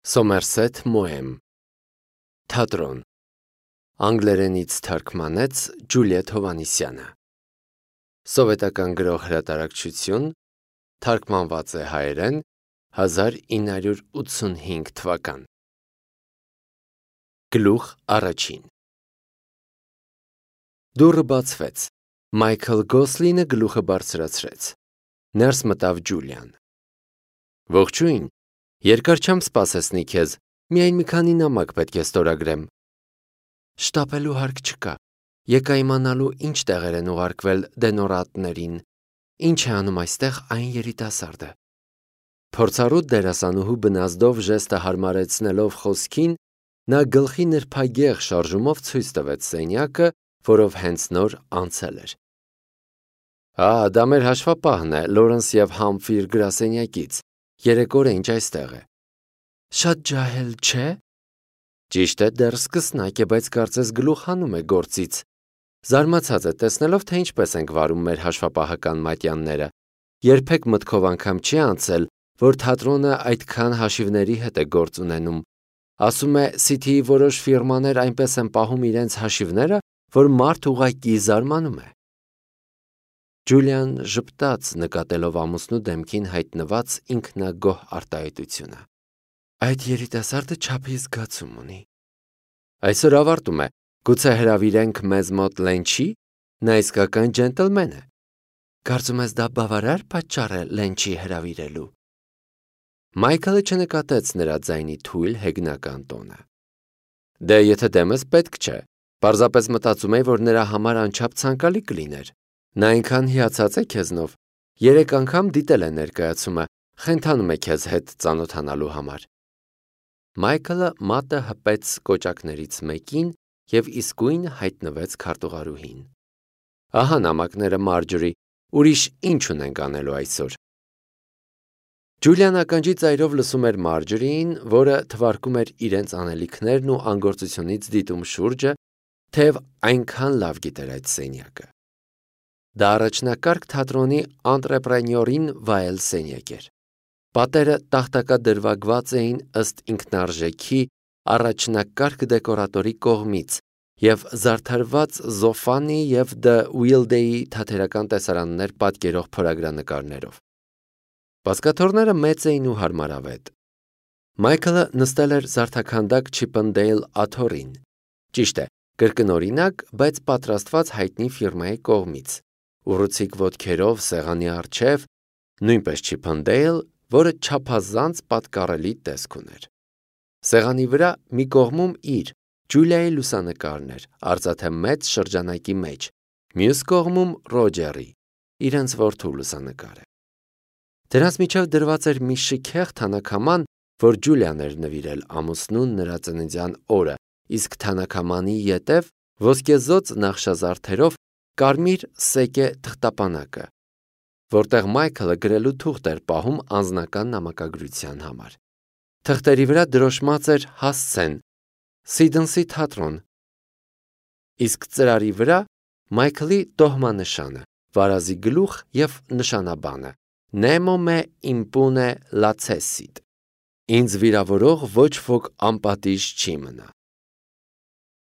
Սոմերսեթ Մոեմ Թատրոն Անգլերենից թարգմանեց Ջուլիետ Հովհաննիսյանը Սովետական գրող հրատարակչություն Թարգմանված է հայերեն 1985 թվական Գլուխ առաջին Դուռը բացվեց Մայքլ Գոսլինը գլուխը բարձրացրեց Ներս մտավ Ջուլիան Ողջույն Երկար չեմ սպասեցնի քեզ, միայն մի քանի նամակ պետք է ստորագրեմ։ Շտապելու հարկ չկա, եկա իմանալու ինչ տեղեր են ուղարկվել դենորատներին, ինչ է անում այստեղ այն երիտասարդը։ Փորձառու դերասանուհու բնազդով ժեստը հարմարեցնելով խոսքին, նա գլխի նրբագեղ շարժումով ցույց տվեց սենյակը, որով հենց նոր անցել էր։ Դա մեր հաշվապահն է, Լորենս և Համֆիր գրասենյակից։ Երեք օր է ինչ այստեղ է։ Շատ ջահել չէ։ Ճիշտ է, դեռ սկսնակ է, բայց կարծես գլուխ հանում է գործից։ Զարմացած է տեսնելով, թե ինչպես ենք վարում մեր հաշվապահական մատյանները։ Երբեք մտքով անգամ չի անցել, որ թատրոնը այդքան հաշիվների հետ է գործ ունենում։ Ասում է, Սիթիի որոշ ֆիրմաներ այնպես են պահում իրենց հաշիվները, որ մարդ ուղղակի զարմանում է։ Ջուլիան ժպտաց, նկատելով ամուսնու դեմքին հայտնված ինքնագոհ արտահայտությունը։ Այդ երիտասարդը չափի զգացում ունի։ Այսօր ավարտում է, գուցե հրավիրենք մեզ մոտ Լենչի, նա իսկական ջենտլմեն է։ Կարծում ես դա բավարար պատճառ է Լենչի հրավիրելու։ Մայքլը չնկատեց նրա ձայնի թույլ հեգնական տոնը։ Դե եթե դեմս պետք չէ, պարզապես մտածում էի, որ նրա համար անչափ ցանկալի կլիներ։ Նա այնքան հիացած է քեզնով, 3 անգամ դիտել է ներկայացումը, խենթանում է քեզ հետ ծանոթանալու համար։ Մայքլը մատը հպեց կոճակներից մեկին և իսկույն հայտնվեց քարտուղարուհին։ Ահա նամակները Մարջորի, ուրիշ ինչ ունենք անելու այսօր։ Ջուլիան ականջի ծայրով լսում էր Մարջորիին, որը թվարկում էր իրենց անելիքներն ու անգործությունից դիտում շուրջը, թեև այնքան լավ գիտեր այդ սենյակը։ Դա առաջնակարգ թատրոնի անտրեպրենյորին վայել սենյակ էր։ Պատերը տախտակադրվագված էին ըստ ինքնարժեքի առաջնակարգ դեկորատորի կողմից և զարդարված Զոֆանի և Դը Ուիլդեի թատերական տեսարաններ պատկերող փորագրանկարներով։ Բազկաթոռները մեծ էին ու հարմարավետ։ Մայքլը նստել էր զարդաքանդակ Չիփընդեյլ աթոռին։ Ճիշտ է, կրկնօրինակ, բայց պատրաստված հայտնի ֆիրմայի կողմից։ Ուռուցիկ ոտքերով սեղանի առջև, նույնպես Չիփընդեյլ, որը չափազանց պատկառելի տեսք ուներ։ Սեղանի վրա մի կողմում իր, Ջուլիայի լուսանկարն էր, արծաթե մեծ շրջանակի մեջ, մյուս կողմում Ռոջերի, իրենց որդու լուսանկարը։ Դրանց միջև դրված էր մի շքեղ թանաքաման, որ Ջուլիան էր նվիրել ամուսնուն նրա ծննդյան օրը, իսկ թանաքամանի ետև ոսկեզօծ նախշազարդերով կարմիր սեկե թղթապանակը, որտեղ Մայքլը գրելու թուղթ էր պահում անձնական նամակագրության համար։ Թղթերի վրա դրոշմած էր հասցեն, Սիդնսի թատրոն, իսկ ծրարի վրա Մայքլի տոհմանշանը, վարազի գլուխ և նշանաբանը Nemo me impune lacessit, ինձ վիրավորող ոչ ոք անպատիժ չի մնա։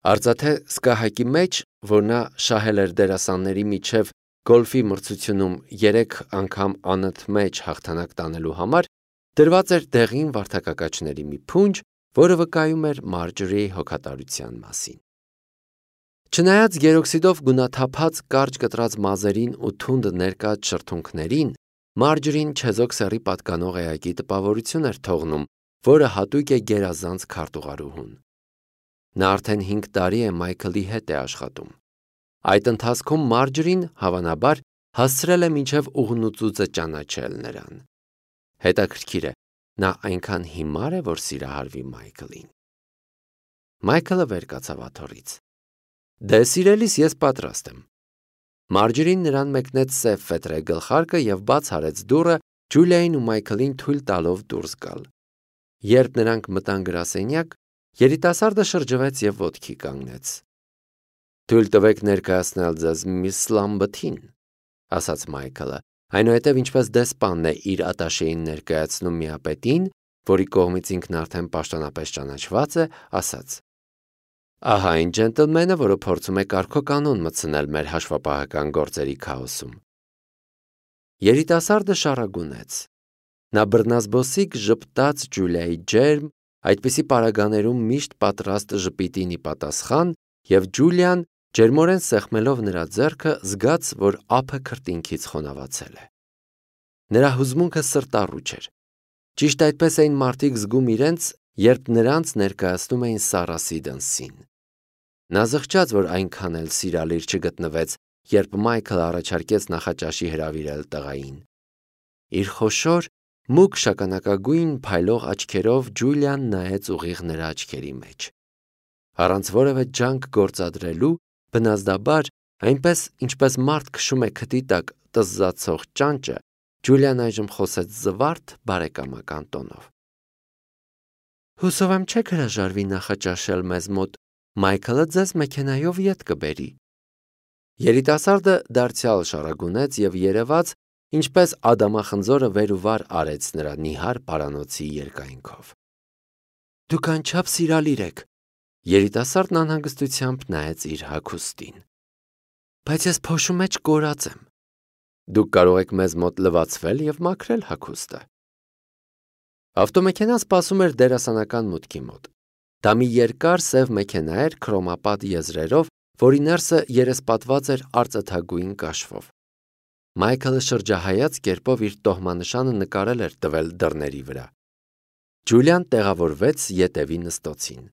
Արծաթե սկահակի մեջ, որ նա շահել էր դերասանների միջև գոլֆի մրցությունում 3 անգամ անընդմեջ հաղթանակ տանելու համար, դրված էր դեղին վարդակակաչների մի փունջ, որը վկայում էր Մարջորիի հոգատարության մասին։ Չնայած գերօքսիդով գունաթափած կարճ կտրած մազերին ու թունդ ներկած շրթունքներին, Մարջորին չեզոք սեռի պատկանող էակի տպավորություն էր թողնում, որը հատուկ է գերազանց քարտուղարուհուն։ Նա արդեն 5 տարի է Մայքլի հետ է աշխատում։ Այդ ընթացքում Մարջորին, հավանաբար, հասցրել է մինչև ուղնուծուծը ճանաչել նրան։ Հետաքրքիր է, նա այնքան հիմար է, որ սիրահարվի Մայքլին։ Մայքլը վեր կացավ աթոռից։ Դե սիրելիս, ես պատրաստ եմ։ Մարջորին նրան մեկնեց սև ֆետրե գլխարկը և բաց արեց դուռը, Ջուլիային ու Մայքլին թույլ տալով դուրս գալ։ Երբ նրանք մտան գրասենյակ, երիտասարդը շրջվեց և ոտքի կանգնեց։ Թույլ տվեք ներկայացնել ձեզ միս Լամբթին, ասաց Մայքլը, այնուհետև ինչպես դեսպանն է իր ատաշեին ներկայացնում միապետին, որի կողմից ինքն արդեն պաշտոնապես ճանաչված է, ասաց. «Ահա այն ջենտլմենը, որը փորձում է կարգոկանոն մտցնել մեր հաշվապահական գործերի քաոսում»։ Երիտասարդը շարագունեց. նա բռնազբոսիկ ժպտաց Ջուլիայի ջերմ, այդպիսի պարագաներում միշտ պատրաստ ժպիտին ի պատասխան, և Ջուլիան, ջերմորեն սեղմելով նրա ձեռքը, զգաց, որ ափը քրտինքից խոնավացել է։ Նրա հուզմունքը սրտառուչ էր։ Ճիշտ այդպես էին մարդիկ զգում իրենց, երբ նրանց ներկայացնում էին Սարասի դնսին։ Նա զղջաց, որ այնքան էլ սիրալիր չգտնվեց, երբ Մայքլը առաջարկեց նախաճաշի հրավիրել տղային։ Իր խոշոր, մուգ շագանակագույն փայլող աչքերով Ջուլիան նայեց ուղիղ նրա աչքերի մեջ։ Առանց որևէ ջանք գործադրելու, բնազդաբար, այնպես ինչպես մարդ քշում է քթի տակ տզզացող ճանճը, Ջուլիան այժմ խոսեց զվարթ բարեկամական տոնով։ Հուսով եմ չեք հրաժարվի նախաճաշել մեզ մոտ, Մայքլը ձեզ մեքենայով ետ կբերի։ Երիտասարդը դարձյալ շարագունեց և երևաց, ինչպես ադամախնձորը վեր ու վար արեց նրա նիհար պարանոցի երկայնքով։ Դուք անչափ սիրալիր եք, երիտասարդն անհանգստությամբ նայեց իր հագուստին։ Բայց ես փոշու մեջ կորած եմ։ Դուք կարող եք մեզ մոտ լվացվել և մաքրել հագուստը։ Ավտոմեքենան սպասում էր դերասանական մուտքի մոտ։ Դա մի երկար սև մեքենա էր քրոմապատ եզրերով, որի ներսը երեսպատված էր արծաթագույն կաշվով։ Մայքլը շրջահայաց կերպով իր տոհմանշանը նկարել էր տվել դռների վրա։ Ջուլիան տեղավորվեց ետևի նստոցին։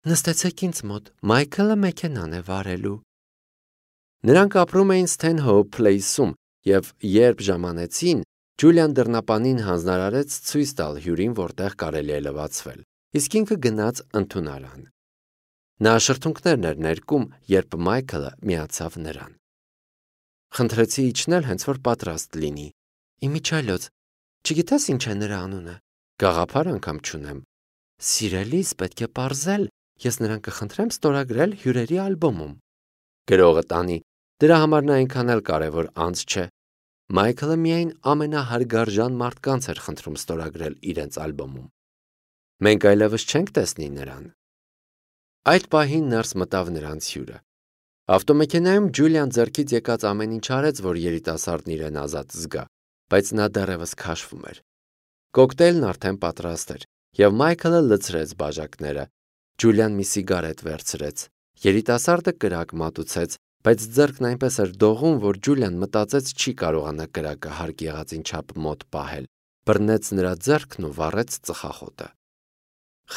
Նստեցեք ինձ մոտ, Մայքլը մեքենան է վարելու։ Նրանք ապրում էին Սթենհոուփ Փլեյսում, և երբ ժամանեցին, Ջուլիան դռնապանին հանձնարարեց ցույց տալ հյուրին, որտեղ կարելի է լվացվել, իսկ ինքը գնաց ընդունարան։ Նա շրթունքներն էր ներկում, երբ Մայքլը միացավ նրան։ Խնդրեցի իջնել, հենց որ պատրաստ լինի։ Իմիջիայլոց, չգիտես ինչ է նրա անունը։ Գաղափար անգամ չունեմ։ Սիրելիս, պետք է պարզել, ես նրան կխնդրեմ ստորագրել հյուրերի ալբոմում։ Գրողը տանի, դրա համար նա այնքան էլ կարևոր անձ չէ։ Մայքլը միայն ամենահարգարժան մարդկանց էր խնդրում ստորագրել իրենց ալբոմում։ Մենք այլևս չենք տեսնի նրան։ Այդ պահին ներս մտավ նրանց հյուրը։ Ավտոմեքենայում Ջուլիան ձեռքից եկած ամեն ինչ արեց, որ երիտասարդն իրեն ազատ զգա, բայց նա դեռևս քաշվում էր։ Կոկտեյլն արդեն պատրաստ էր, և Մայքլը լցրեց բաժակները։ Ջուլիան մի սիգարետ վերցրեց։ Երիտասարդը կրակ մատուցեց, բայց ձեռքն այնպես էր դողում, որ Ջուլիան մտածեց չի կարողանա կրակը հարկ եղածին չափ մոտ պահել։ Բռնեց նրա ձեռքն ու վառեց ծխախոտը։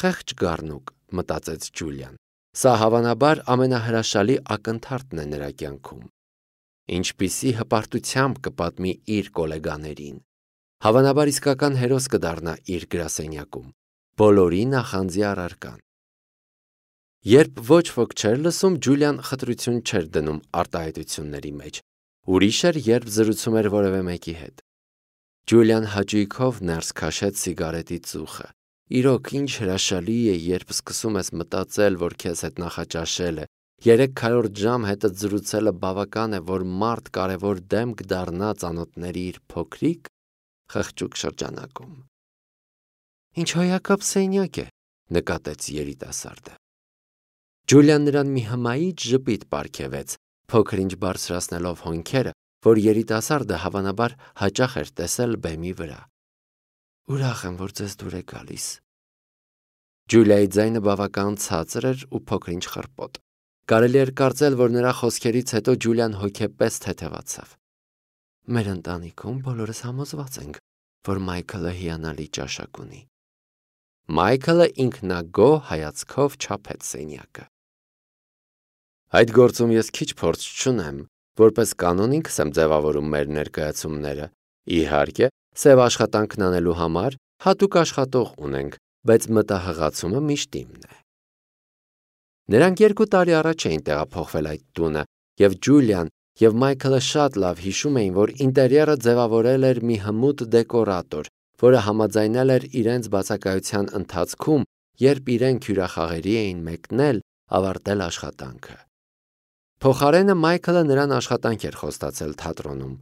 Խեղճ գառնուկ, մտածեց Ջուլիան։ Սա հավանաբար ամենահրաշալի ակնթարթն է նրա կյանքում։ Ինչպիսի հպարտությամբ կպատմի իր գոլեգաներին։ Հավանաբար իսկական հերոս կդառնա իր գրասենյակում։ Բոլորի նախանձի առարկան։ Երբ ոչ ոք չէր լսում, Ջուլիան խտրություն չէր դնում արտահայտությունների մեջ։ Ուրիշ էր, երբ զրուցում էր որևէ մեկի հետ։ Ջուլիան հաճույքով ներս քաշեց սիգարետի ծուխը։ Իրոք ինչ հրաշալի է, երբ սկսում ես մտածել, որ քեզ հետ նախաճաշել է, 300 ժամ հետդ զրուցելը բավական է, որ մարդ կարևոր դեմք դառնա ծանոթների իր փոքրիկ խղճուկ շրջանակում։ Ինչ հոյակապ սենյակ է, նկատեց երիտասարդը։ Ջուլիան նրան մի հմայիչ ժպիտ պարգևեց, փոքր-ինչ բարձրացնելով հոնքերը, որ երիտասարդը հավանաբար հաճախ էր տեսել բեմի վրա։ Ուրախ եմ, որ ձեզ դուր է գալիս։ Ջուլիայի ձայնը բավական ցածր էր ու փոքր-ինչ խռպոտ։ Կարելի էր կարծել, որ նրա խոսքերից հետո Ջուլիան հոգեպես թեթևացավ։ Մեր ընտանիքում բոլորս համոզված ենք, որ Մայքլը հիանալի ճաշակ ունի։ Մայքլը ինքնագոհ հայացքով չափեց սենյակը։ Այդ գործում ես քիչ փորձ չունեմ, որպես կանոն ինքս եմ ձևավորում մեր ներկայացումները։ Իհարկե, սև աշխատանքն անելու համար հատուկ աշխատող ունենք, բայց մտահղացումը միշտ իմն է։ Նրանք 2 տարի առաջ էին տեղափոխվել այդ տունը, և Ջուլիան և Մայքլը շատ լավ հիշում էին, որ ինտերիերը ձևավորել էր մի հմուտ դեկորատոր, որը համաձայնել էր իրենց բացակայության ընթացքում, երբ իրենք հյուրախաղերի էին մեկնել, ավարտել աշխատանքը։ Փոխարենը Մայքլը նրան աշխատանք էր խոստացել թատրոնում։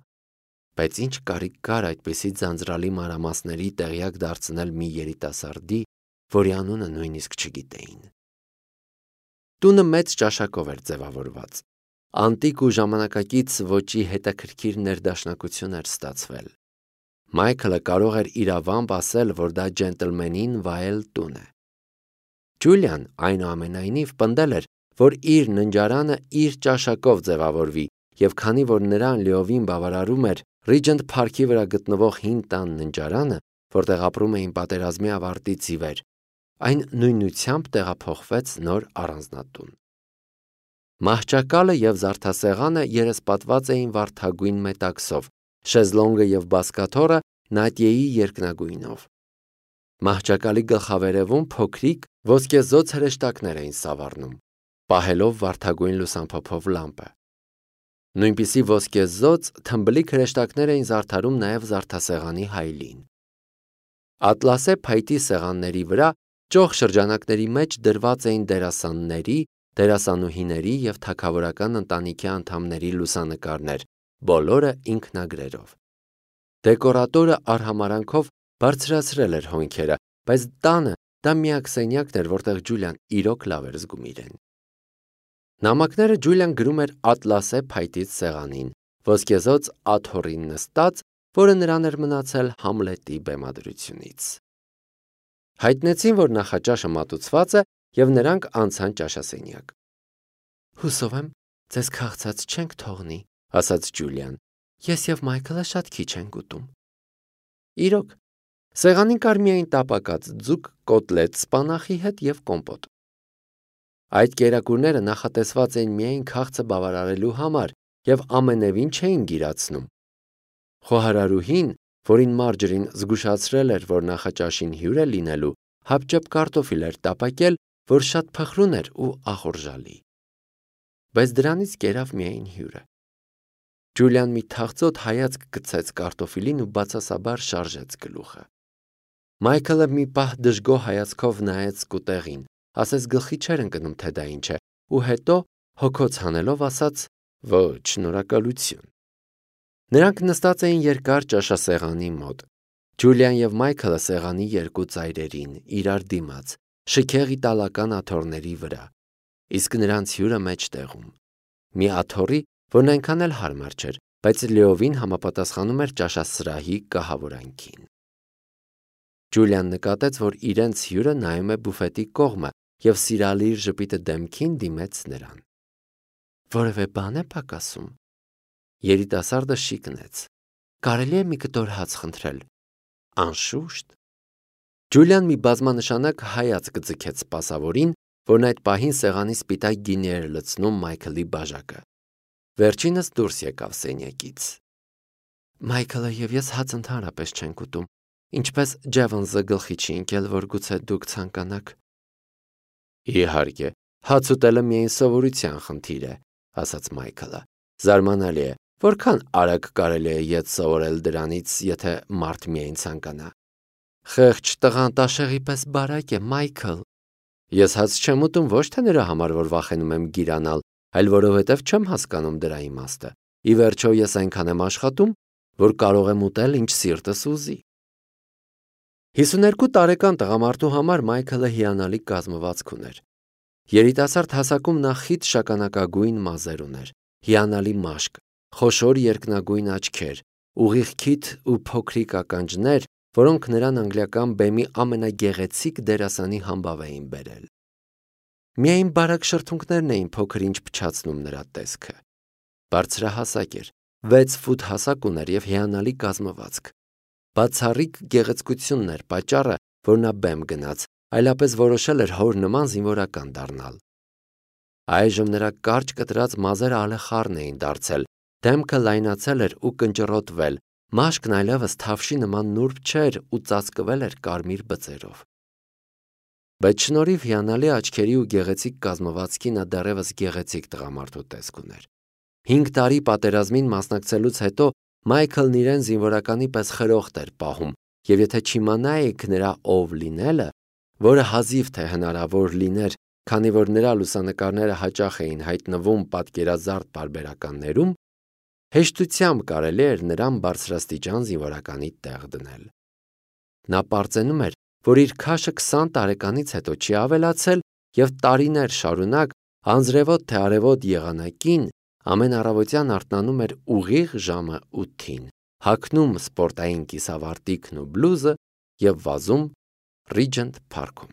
բայց ինչ կարիք կար այդպիսի ձանձրալի մանրամասների տեղյակ դարձնել մի երիտասարդի, որի անունը նույնիսկ չգիտեին։ Տունը մեծ ճաշակով էր ձևավորված։ Անտիկ ու ժամանակակից ոճի հետաքրքիր ներդաշնակություն էր ստացվել։ Մայքլը կարող էր իրավամբ ասել, որ դա ջենտլմենին վայել տուն է։ Ջուլիան այնուամենայնիվ պնդել էր, որ իր ննջարանը իր ճաշակով ձևավորվի, և քանի որ նրան լիովին բավարարում էր Ռիջենտ Փարքի վրա գտնվող հին տան ննջարանը, որտեղ ապրում էին պատերազմի ավարտից ի վեր, այն նույնությամբ տեղափոխվեց նոր առանձնատուն։ Մահճակալը և զարդասեղանը երեսպատված էին վարդագույն մետաքսով, շեզլոնգը և բազկաթոռը նատյեի երկնագույնով։ Մահճակալի գլխավերևում փոքրիկ ոսկեզօծ հրեշտակներ էին սավառնում, պահելով վարդագույն լուսամփոփով լամպը։ Նույնպիսի ոսկեզօծ թմբլիկ հրեշտակներ էին զարդարում նաև զարդասեղանի հայելին։ Ատլասե փայտի սեղանների վրա ճոխ շրջանակների մեջ դրված էին դերասանների, դերասանուհիների և թագավորական ընտանիքի անդամների լուսանկարներ, բոլորը ինքնագրերով։ Դեկորատորը արհամարհանքով բարձրացրել էր հոնքերը, բայց տանը դա միակ սենյակն էր, որտեղ Ջուլիան իրոք լավ էր զգում իրեն։ Նամակները Ջուլիան գրում էր ատլասե փայտից սեղանին, ոսկեզօծ աթոռին նստած, որը նրան էր մնացել Համլետի բեմադրությունից։ Հայտնեցին, որ նախաճաշը մատուցված է, և նրանք անցան ճաշասենյակ։ «Հուսով եմ, ձեզ քաղցած չենք թողնի», ասաց Ջուլիան։ «Ես և Մայքլը շատ քիչ ենք ուտում»։ Իրոք, սեղանին կար միայն տապակած ձուկ, կոտլետ սպանախի հետ և կոմպոտ։ Այդ կերակուրները նախատեսված էին միայն քաղցը բավարարելու համար և ամենևին չէին գիրացնում։ Խոհարարուհին, որին Մարջերին զգուշացրել էր, որ նախաճաշին հյուր է լինելու, հապճեպ կարտոֆիլ էր տապակել, որ շատ փխրուն էր ու ախորժալի։ Բայց դրանից կերավ միայն հյուրը։ Ջուլիան մի թախծոտ հայացք գցեց կարտոֆիլին ու բացասաբար շարժեց գլուխը։ Մայքլը մի պահ դժգոհ հայացքով նայեց սկուտեղին, ասես գլխի չէր ընկնում, թե դա ինչ է, ու հետո հոգոց հանելով ասաց. «Ոչ, շնորհակալություն»։ Նրանք նստած էին երկար ճաշասեղանի մոտ։ Ջուլիան և Մայքլը սեղանի երկու ծայրերին, իրար դիմաց, շքեղ իտալական աթոռների վրա, իսկ նրանց հյուրը մեջտեղում։ Մի աթոռի, որն այնքան էլ հարմար չէր, բայց լիովին համապատասխանում էր ճաշասրահի կահավորանքին։ Ջուլիան նկատեց, որ իրենց հյուրը նայում է բուֆետի կողմը և սիրալիր ժպիտը դեմքին դիմեց նրան։ «Որևէ բան է պակասում»։ Երիտասարդը շիկնեց։ «Կարելի է մի կտոր հաց խնդրել»։ «Անշուշտ»։ Ջուլիան մի բազմանշանակ հայացք ձգեց սպասավորին, որն այդ պահին սեղանի սպիտակ գինի էր լցնում Մայքլի բաժակը։ Վերջինս դուրս եկավ սենյակից։ «Մայքլը և ես հաց ընդհանրապես չենք ուտում, ինչպես Ջևոնսը գլխի չի ընկել, որ գուցե դուք ցանկանաք»։ «Իհարկե, հաց ուտելը միայն սովորության խնդիր է», ասաց Մայքլը։ «Զարմանալի է, որքան արագ կարելի է ետ սովորել դրանից, եթե մարդ միայն ցանկանա»։ «Խեղճ տղան տաշեղի պես բարակ է, Մայքլ»։ «Ես հաց չեմ ուտում ոչ թե նրա համար, որ վախենում եմ գիրանալ, այլ որովհետև չեմ հասկանում դրա իմաստը։ Ի վերջո, ես այնքան եմ աշխատում, որ կարող եմ ուտել, ինչ սիրտս ուզի»։ 52 տարեկան տղամարդու համար Մայքլը հիանալի կազմվածք ուներ։ Երիտասարդ հասակում նա խիտ շագանակագույն մազեր ուներ, հիանալի մաշկ, խոշոր երկնագույն աչքեր, ուղիղ քիթ ու փոքրիկ ականջներ, որոնք նրան անգլիական բեմի ամենագեղեցիկ դերասանի համբավ էին բերել։ Միայն բարակ շրթունքներն էին փոքր-ինչ փչացնում նրա տեսքը։ Բարձրահասակ էր, 6 ֆուտ հասակ ուներ և հիանալի կազմվածք։ Բացառիկ գեղեցկությունն էր պատճառը, որ նա բեմ գնաց, այլապես որոշել էր հոր նման զինվորական դառնալ։ Այժմ նրա կարճ կտրած մազերը ալեխառն էին դարձել, դեմքը լայնացել էր ու կնճռոտվել, մաշկն այլևս թավշի նման նուրբ չէր ու ծածկվել էր կարմիր բծերով։ Բայց շնորհիվ հիանալի աչքերի ու գեղեցիկ կազմվածքի նա դեռևս գեղեցիկ տղամարդու տեսք ուներ։ 5 տարի պատերազմին մասնակցելուց հետո Մայքլն իրեն զինվորականի պես խրոխտ էր պահում, և եթե չիմանայիք նրա ով լինելը, որը հազիվ թե հնարավոր լիներ, քանի որ նրա լուսանկարները հաճախ էին հայտնվում պատկերազարդ պարբերականներում, հեշտությամբ կարելի էր նրան բարձրաստիճան զինվորականի տեղ դնել։ Նա պարծենում էր, որ իր քաշը 20 տարեկանից հետո չի ավելացել և տարիներ շարունակ անձրևոտ թե արևոտ եղանակին ամեն առավոտյան արթնանում էր ուղիղ ժամը 8-ին, հագնում սպորտային կիսավարտիքն ու բլուզը և վազում Ռիջենտ Փարքում։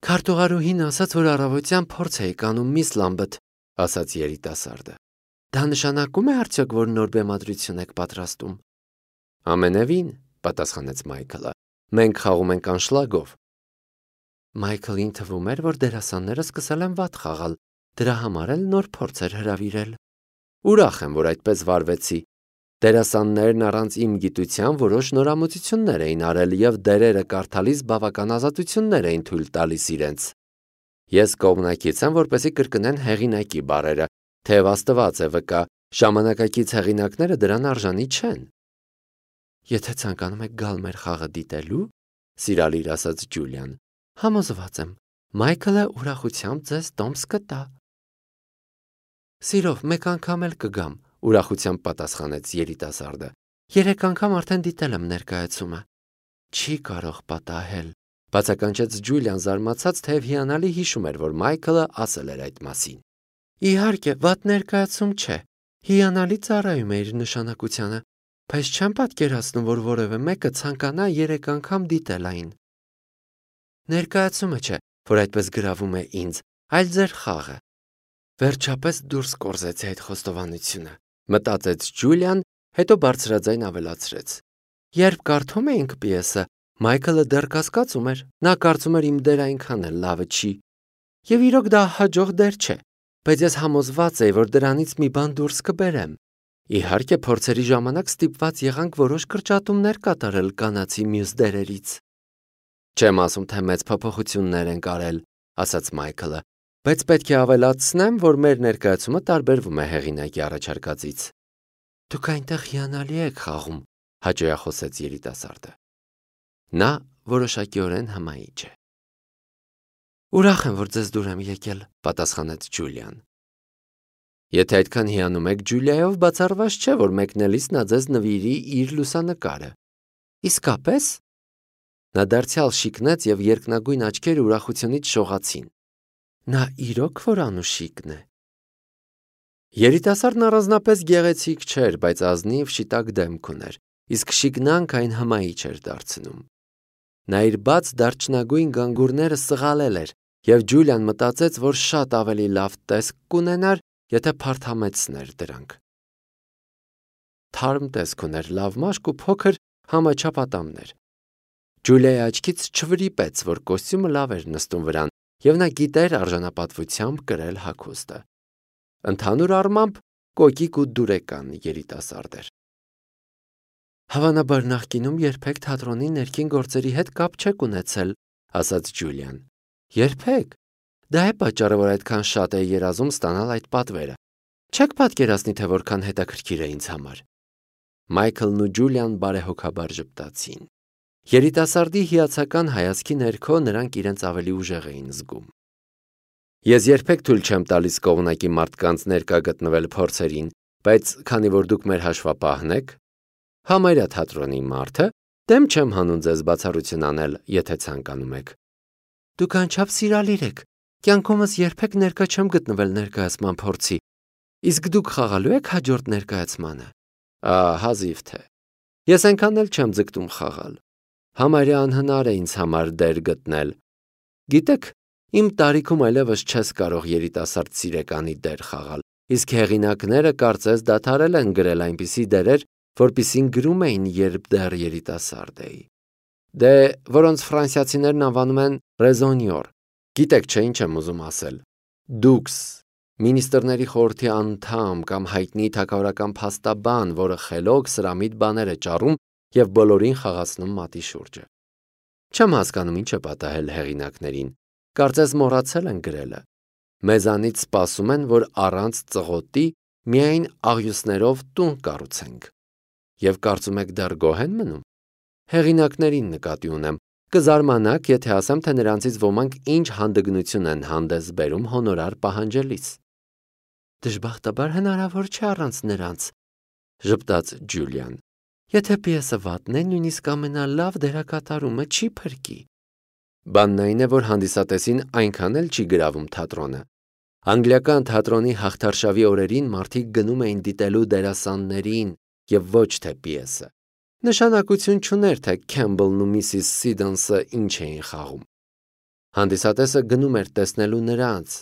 Քարտուղարուհին ասաց, որ առավոտյան փորձ էի կանում միս Լամբեթ, ասաց երիտասարդը։ Դա նշանակում է արդյոք, որ նոր բեմադրություն եք պատրաստում։ Ամենևին, պատասխանեց Մայքլը, մենք խաղում ենք անշլագով։ Մայքլին թվում էր, որ դերասանները սկսել են վատ խաղալ, դրա համար էլ նոր փորձ էր հրավիրել։ Ուրախ եմ, որ այդպես վարվեցի։ Դերասաններն առանց իմ գիտության որոշ նորամուծություններ էին արել և դերերը կարդալիս բավական ազատություններ էին թույլ տալիս իրենց։ Ես կողմնակից եմ, որպեսզի կրկնեն հեղինակի բառերը, թեև Աստված է վկա, ժամանակակից հեղինակները դրան արժանի չեն։ Եթե ցանկանում եք գալ մեր խաղը դիտելու, սիրալիր ասաց Ջուլիան, համոզված եմ, Մայքլը ուրախությամբ ձեզ տոմս կտա։ Սիրով, մեկ անգամ էլ կգամ, ուրախությամբ պատասխանեց երիտասարդը։ 3 անգամ արդեն դիտել եմ ներկայացումը։ Չի կարող պատահել, բացականչեց Ջուլիան զարմացած, թեև հիանալի հիշում էր, որ Մայքլը ասել էր այդ մասին։ Իհարկե, վատ ներկայացում չէ։ Հիանալի ծառայում է իր նշանակությանը, բայց չեմ պատկերացնում, որ որևէ մեկը ցանկանա 3 անգամ դիտել այն։ Ներկայացումը չէ, որ այդպես գրավում է ինձ, այլ ձեր խաղը։ Վերջապես դուրս կորզեցի այդ խոստովանությունը, մտածեց Ջուլիան, հետո բարձրաձայն ավելացրեց. Երբ կարդում էինք պիեսը, Մայքլը դեռ կասկածում էր, նա կարծում էր իմ դերը այնքան էլ լավը չի։ Եվ իրոք դա հաջող դեր չէ, բայց ես համոզված էի, որ դրանից մի բան դուրս կբերեմ։ Իհարկե, փորձերի ժամանակ ստիպված եղանք որոշ կրճատումներ կատարել կանացի մյուս դերերից։ Չեմ ասում, թե մեծ փոփոխություններ են արել, ասաց Մայքլը, բայց պետք է ավելացնեմ, որ մեր ներկայացումը տարբերվում է հեղինակի առաջարկածից։ Դուք այնտեղ հիանալի եք խաղում, հաճոյախոսեց երիտասարդը։ Նա որոշակիորեն հմայիչ է։ Ուրախ եմ, որ ձեզ դուր եմ եկել, պատասխանեց Ջուլիան։ Եթե այդքան հիանում եք Ջուլիայով, բացառված չէ, որ մեկնելիս նա ձեզ նվիրի իր լուսանկարը։ Իսկապես։ Նա դարձյալ շիկնեց և երկնագույն աչքերը ուրախությունից շողացին։ Նա իրոք որ անուշիկն է։ Երիտասարդն առանձնապես գեղեցիկ չէր, բայց ազնիվ շիտակ դեմք ուներ, իսկ շիկնանք այն հմայիչ էր դարձնում։ Նա իր բաց դարչնագույն գանգուրները սղալել էր, և Ջուլիան մտածեց, որ շատ ավելի լավ տեսք կունենար, եթե փարթամեցներ դրանք։ Թարմ տեսք ուներ, լավ մաշկ ու փոքր համաչափ ատամներ։ Ջուլիայի աչքից չվրիպեց, որ կոստյումը լավ էր նստում վրան, և նա գիտեր արժանապատվությամբ կրել հագուստը։ Ընդհանուր առմամբ կոկիկ ու դուրեկան երիտասարդ էր։ Հավանաբար նախկինում երբեք թատրոնի ներքին գործերի հետ կապ չեք ունեցել, ասաց Ջուլիան։ Երբեք։ Դա է պատճառը, որ այդքան շատ է երազում ստանալ այդ պատվերը։ Չեք պատկերացնի, թե որքան հետաքրքիր է ինձ համար։ Մայքլն ու Ջուլիան բարեհոգաբար ժպտացին։ Երիտասարդի հիացական հայացքի ներքո նրանք իրենց ավելի ուժեղ էին զգում։ Ես երբեք թույլ չեմ տալիս կողմնակի մարդկանց ներկա գտնվել փորձերին, բայց քանի որ դուք մեր հաշվապահն եք, համարյա թատրոնի մարդը, դեմ չեմ հանում ձեզ բացառություն անել, եթե ցանկանում եք։ Դուք անչափ սիրալիր եք։ Կյանքումս երբեք ներկա չեմ գտնվել ներկայացման փորձի։ Իսկ դուք խաղալու եք հաջորդ ներկայացմանը։ Հազիվ թե։ Ես այնքան էլ չեմ ձգտում խաղալ։ Համարյա անհնար է ինձ համար դեր գտնել։ Գիտեք, իմ տարիքում այլևս չես կարող երիտասարդ սիրեկանի դեր խաղալ, իսկ հեղինակները կարծես դադարել են գրել այնպիսի դերեր, որպիսին գրում էին, երբ դեռ երիտասարդ էի։ Դե, որոնց ֆրանսիացիներն անվանում են ռեզոնյոր։ Գիտեք, չէ, ինչ եմ ուզում ասել։ Դուքս, մինիստրների խորհրդի անդամ կամ հայտնի թագավորական փաստաբան, որը խելոք սրամիտ բաներ է ճառում և բոլորին խաղացնում մատի շուրջը։ Չեմ հասկանում ինչ է պատահել հեղինակներին, կարծես մոռացել են գրելը։ Մեզանից սպասում են, որ առանց ծղոտի միայն աղյուսներով տուն կառուցենք։ Եվ կարծում եք դեռ գոհ են մնում։ Հեղինակներին նկատի ունեմ, կզարմանաք, եթե ասեմ, թե նրանցից ոմանք ինչ հանդգնություն են հանդես բերում հոնորար պահանջելիս։ Դժբախտաբար հնարավոր չէ առանց նրանց, ժպտաց Ջուլիան։ Եթե պիեսը վատն է, նույնիսկ ամենալավ դերակատարումը չի փրկի։ Բանն այն է, որ հանդիսատեսին այնքան էլ չի գրավում թատրոնը։ Անգլիական թատրոնի հաղթարշավի օրերին մարդիկ գնում էին դիտելու դերասաններին եւ ոչ թե պիեսը։ Նշանակություն չուներ, թե Քեմբլն ու Միսիս Սիդոնսը ինչ էին խաղում։ Հանդիսատեսը գնում էր տեսնելու նրանց։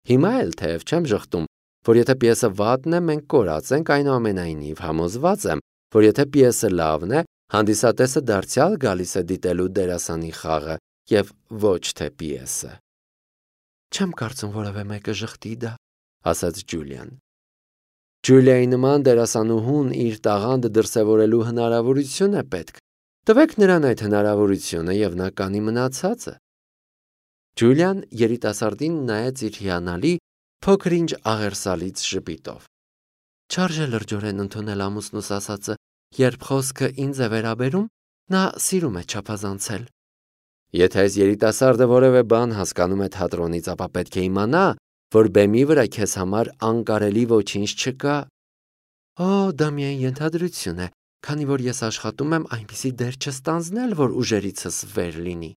Հիմա էլ թեև չեմ ժխտում, որ եթե պիեսը վատն է, մենք կորած ենք, այնուամենայնիվ համոզված եմ, որ եթե պիեսը լավն է, հանդիսատեսը դարձյալ գալիս է դիտելու դերասանի խաղը եւ ոչ թե պիեսը։ Չեմ կարծում որևէ մեկը ժխտի դա, ասաց Ջուլիան։ Ջուլիայի նման դերասանուհուն իր տաղանդը դրսևորելու հնարավորություն է պետք։ Տվեք նրան այդ հնարավորությունը եւ նա կանի մնացածը։ Ջուլիան երիտասարդին նայեց իր հիանալի փոքր-ինչ աղերսալից ժպիտով։ Չարժե լրջորեն ընդունել ամուսնուս ասածը, երբ խոսքը ինձ է վերաբերում, նա սիրում է չափազանցել։ Եթե այս երիտասարդը որևէ բան հասկանում է թատրոնից, ապա պետք է իմանա, որ բեմի վրա քեզ համար անկարելի ոչինչ չկա։ Օ, դա միայն ենթադրություն է, քանի որ ես աշխատում եմ այնպիսի դեր չստանձնել, որ ուժերիցս վեր լինի։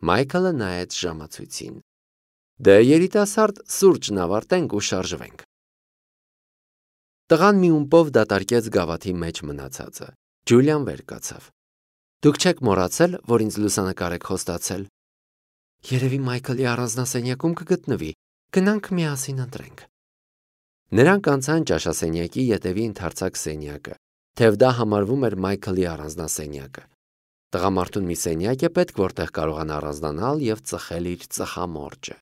Մայքլը նայեց ժամացույցին։ Դե երիտասարդ, սուրճն ավարտենք ու շարժվենք։ Տղան մի ումպով դատարկեց գավաթի մեջ մնացածը։ Ջուլիան վեր կացավ։ Դուք չեք մոռացել, որ ինձ լուսանկար եք խոստացել։ Երևի Մայքլի առանձնասենյակում կգտնվի։ Գնանք միասին ընտրենք։ Նրանք անցան ճաշասենյակի ետևի ընդարձակ սենյակը, թեև դա համարվում էր Մայքլի առանձնասենյակը։ Տղամարդուն մի սենյակ է պետք, որտեղ կարողանա առանձնանալ եւ ծխել իր ծխամորճը։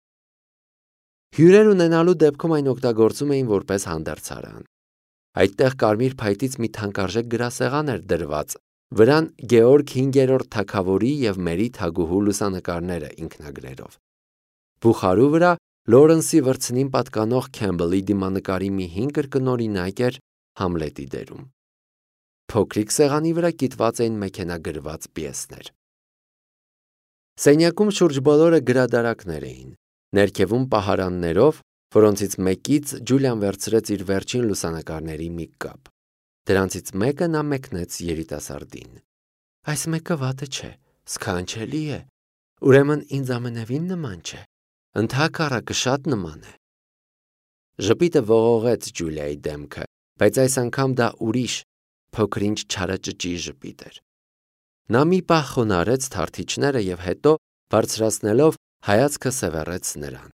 Հյուրեր ունենալու դեպքում այն օգտագործում էին որպես հանդերձարան։ Այդտեղ կարմիր փայտից մի թանկարժեք գրասեղան էր դրված, վրան Գեորգ 5-րդ թագավորի եւ Մերի թագուհու լուսանկարները ինքնագրերով։ Բուխարու վրա Լորենսի վրձնին պատկանող Քեմբլի դիմանկարի մի հին կրկնօրինակ էր Համլետի դերում։ Փոքրիկ սեղանի վրա կիտված էին մեքենագրված պիեսներ։ Սենյակում շուրջ բոլորը գրադարաններ էին, ներքևում պահարաններով, որոնցից մեկից Ջուլիան վերցրեց իր վերջին լուսանկարների մի կապ։ Դրանցից մեկը նա մեկնեց երիտասարդին։ Այս մեկը վատը չէ, սքանչելի է, ուրեմն ինձ ամենևին նման չէ, ընդհակառակը շատ նման է։ Ժպիտը ողողեց Ջուլիայի դեմքը, բայց այս անգամ դա ուրիշ, փոքր-ինչ չարաճճի ժպիտ էր։ Նա մի պահ խոնարհեց թարթիչները եւ հետո, բարձրացնելով, հայացքը սևեռեց նրան։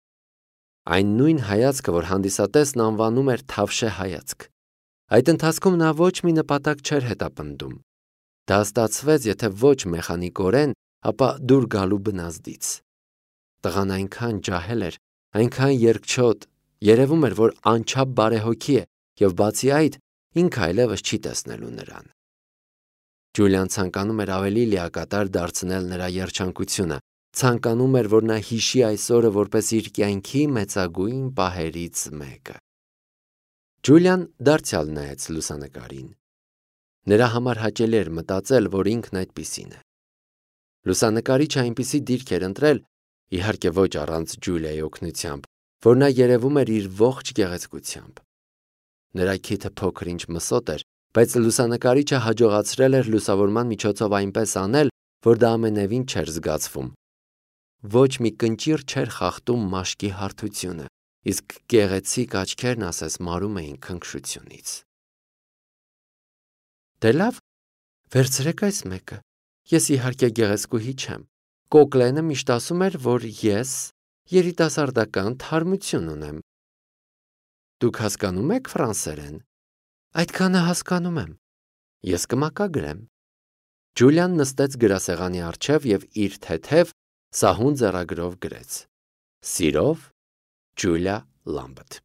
Այն նույն հայացքը, որ հանդիսատեսն անվանում էր թավշե հայացք։ Այդ ընթացքում նա ոչ մի նպատակ չէր հետապնդում։ Դա ստացվեց, եթե ոչ մեխանիկորեն, ապա դուր գալու բնազդից։ Տղան այնքան ջահել էր, այնքան երկչոտ, երևում էր, որ անչափ բարեհոգի է, եւ բացի այդ, ինքը այլևս չի տեսնելու նրան։ Ջուլիան ցանկանում էր ավելի լիակատար դարձնել նրա երջանկությունը, ցանկանում էր, որ նա հիշի այս օրը որպես իր կյանքի մեծագույն պահերից մեկը։ Ջուլիան դարձյալ նայեց լուսանկարին։ Նրա համար հաճելի էր մտածել, որ ինքն այդպիսին է։ Լուսանկարիչը այնպիսի դիրք էր ընտրել, իհարկե ոչ առանց Ջուլիայի օգնությամբ, որ նա երևում էր իր ողջ գեղեցկությամբ։ Նրա քիթը փոքր-ինչ մսոտ էր, բայց լուսանկարիչը հաջողացրել էր լուսավորման միջոցով այնպես անել, որ դա ամենևին չէր զգացվում։ Ոչ մի կնճիռ չէր խախտում մաշկի հարթությունը, իսկ գեղեցիկ աչքերն ասես մարում էին քնքշությունից։ Դե լավ, վերցրեք այս մեկը։ Ես իհարկե գեղեցկուհի չեմ։ Կոկլենը միշտ ասում էր, որ ես երիտասարդական թարմություն ունեմ։ Դուք հասկանում եք ֆրանսերեն։ Այդքանը հասկանում եմ։ Ես կմակագրեմ։ Ջուլիան նստեց գրասեղանի առջև եւ իր թեթև սահուն ձեռագրով գրեց. Սիրով, Ջուլիա Լամբեթ։